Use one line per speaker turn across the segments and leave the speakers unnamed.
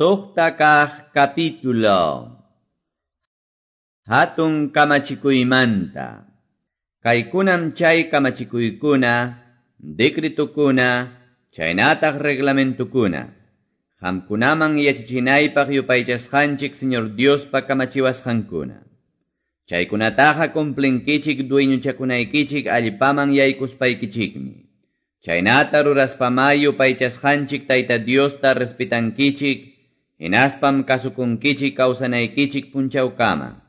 Suqta kaq capítulo. Hatun kamachikuymanta. Kaykunam chay kamachikuykuna, decretukuna, chaynataq reglamentukuna. Qamkunaman yachachinaypaq yupaychasqanchik Señor Diospa kamachiwasqankuna. Chaykunataqa cumplinkichik dueñochakunaykichik allpaman yaykuspaykichikmi. Chaynata ruraspamá yupaychasqanchik Tayta Diosta respetankichik, hinaspam kasukunkichik kawsanaykichik punchawkama.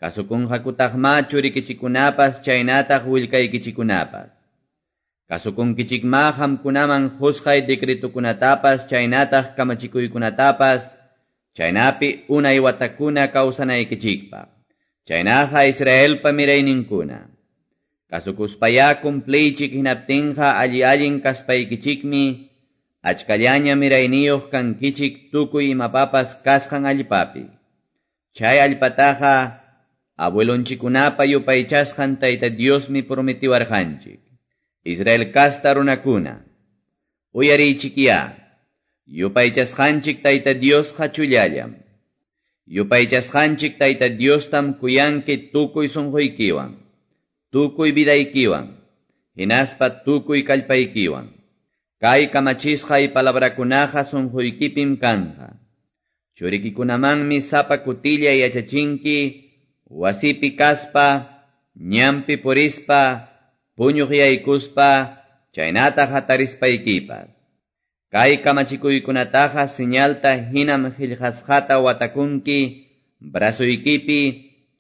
Kasukunqakutaqma churikichikunapas chaynataq willkaykichikunapas. Kasukunkichikma qamkunaman qusqay decretukunatapas chaynataq kamachikuykunatapas, chaynapi unay watakuna kawsanaykichikpaq. Chaynaqa Israelpa mirayninkuna. Kasukuspayá cumpliychik hinaptinqa alli allin kaspaykichikmi, achkallaña mirayniyuq kankichik tukuy imapapas kasqan allpapi. Chay allpataqa abuelonchikunapa yupaychasqan Tayta Diosmi prometiwarqanchik. Israel kasta runakuna, uyariychikyá, yupaychasqanchik Tayta Diosqa chullallam. Yupaychasqanchik Tayta Diostam kuyanki tukuy sunquykiwan, tukuy vidaykiwan, hinaspa tukuy kallpaykiwan. Kay kamachisqay palabrakunaqa sunquykipim kanqa. Churikikunamanmi sapa kutilla yachachinki, wasipi kaspa, ñanpi purispa, puñuq yaykuspa, chaynataq hatarispaykipas. Kay kamachikuykunataqa señalta hinam qillqasqata watakunki, brazoykipi,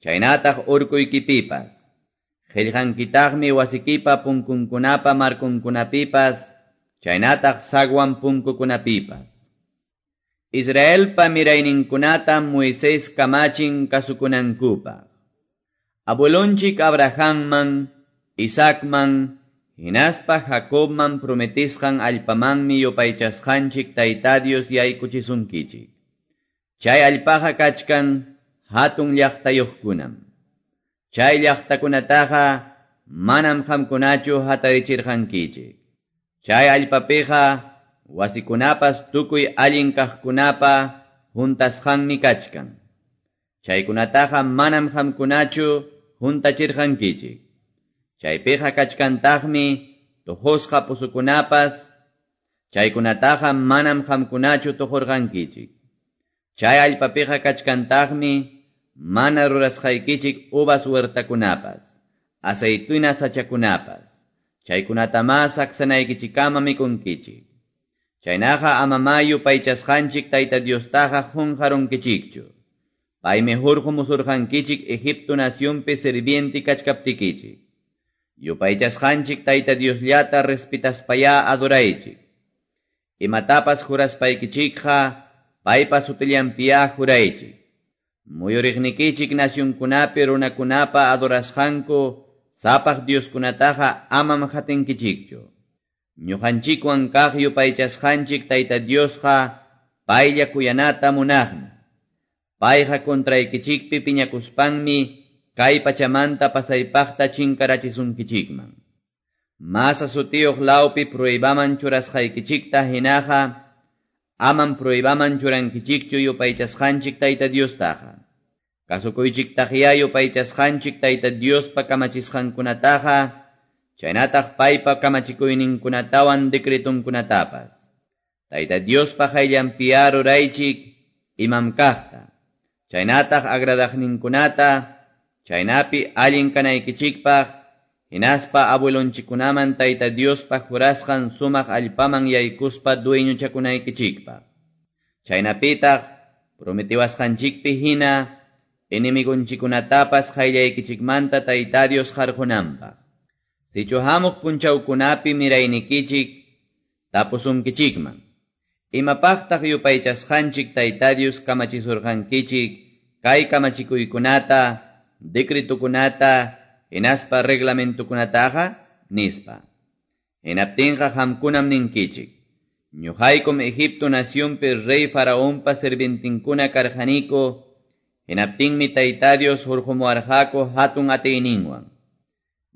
chaynataq urkuykipipas. Qillqankitaqmi wasikipa punkunkunapa markunkunapipas, chaynataq sagwan punkukunapipas. Israelpa mirayninkunata Moisés kamachin kasukunankupaq. Abuelonchik Abrahamman, Isaacman, hinaspa Jacobman prometisqan allpamanmi yupaychasqanchik Tayta Dios yaykuchisunkichik. Chay allpaqa kachkan hatun llaqtayuqkunam. Chay llaqtakunataqa manam qamkunachu hatarichirqankichik. Chay allpapiqa wasikunapas tukuy allin kaqkunapa juntasqanmi kachkan. Chaykunataqa manam qamkunachu juntachirqankichik. Chaypiqa kachkantaqmi tuqusqa pusukunapas, chaykunataqa manam qamkunachu tuqurqankichik. Chay allpapiqa kachkantaqmi mana rurasqaykichik uvas huertakunapas, aceituna sachakunapas. Chaykunatamá saksanaykichikama mikunkichik. Chaynaqa amamá yupaychasqanchik Tayta Diostaqa qunqarunkichikchu. Paymi hurqumusurqankichik Egipto nacionpi sirviente kachkaptikichik. Yupaychasqanchik Tayta Diosllata respetaspayá adoraychik. Imatapas juraspaykichikqa paypa sutillanpiyá juraychik. Muyuriqnikichik nacionkunapi runakunapa adorasqanku sapaq dioskunataqa amam hatinkichikchu. Ñuqanchikwan kaq yupaychasqanchik Tayta Diosqa paylla kuyanata munaqmi. Payqa contraykichikpi piñakuspanmi kay pachamanta pasaypaqta chinkarachisunkichikman. Masa sutiyuq lawpi pruebaman churasqaykichikta hinaqa amam pruebaman churankichikchu yupaychasqanchik Tayta Diostaqa. Kasukuychiktaqyá yupaychasqanchik Tayta Diospa kamachisqankunataqa, chaynataq paypa kamachikuyninkunatawan decretunkunatapas. Tayta Diospa qayllanpiyá ruraychik imam kaqta, chaynataq agradaqninkunata, chaynapi allin kanaykichikpaq, hinaspa abuelonchikunaman Tayta Diospa jurasqan sumaq allpaman yaykuspa dueñochakunaykichikpaq. Chaynapitaq prometiwasqanchikpi hina enemigonchikunatapas qayllaykichikmanta Tayta Dios qarqunanpaq. Sichu hamuq punchawkunapi miraynikichik tapusunkichikman. Imapaqtaq yupaychasqanchik Tayta Dios kamachisurqankichik kay kamachikuykunata, decretukunata, hinaspa reglamentukunataqa, nispa. Hinaptinqa qamkunam ninkichik. Ñuqaykum Egipto nacionpi rey Faraonpa sirvientinkuna karqaniku, hinaptinmi Tayta Dios hurqumuwarqaku hatun atiyninwan.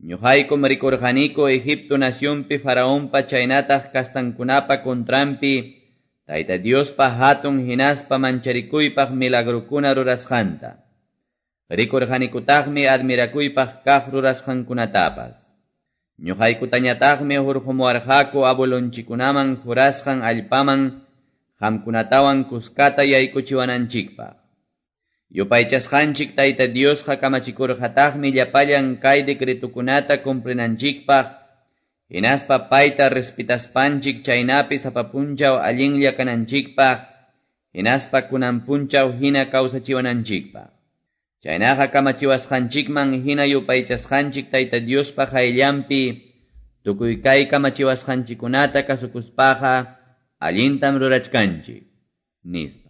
Ñuqaykum rikurqaniku Egipto nacionpi Faraonpa chaynataq kastankunapa contranpi Tayta Diospa hatun hinaspa mancharikuypaq milagrokuna rurasqanta. Rikurqanikutaqmi admirakuypaq kaq rurasqankunatapas. Ñuqaykutañataqmi hurqumuwarqaku abuelonchikkunaman jurasqan allpaman qamkunatawan kuskata yaykuchiwananchikpaq. Yupaychasqanchik Tayta Diosqa kamachikurqataqmi llapallan kay decretokunata cumplinanchikpaq, hinaspa payta respetaspanchik chaynapi sapa punchaw allinlla kananchikpaq, hinaspa kunan punchaw hina kawsachiwananchikpaq. Chaynaqa kamachiwasqanchikman hina yupaychasqanchik Tayta Diospa qayllanpi tukuy kay kamachiwasqanchikkunata kasukuspaqa allintam rurachkanchik, nispa.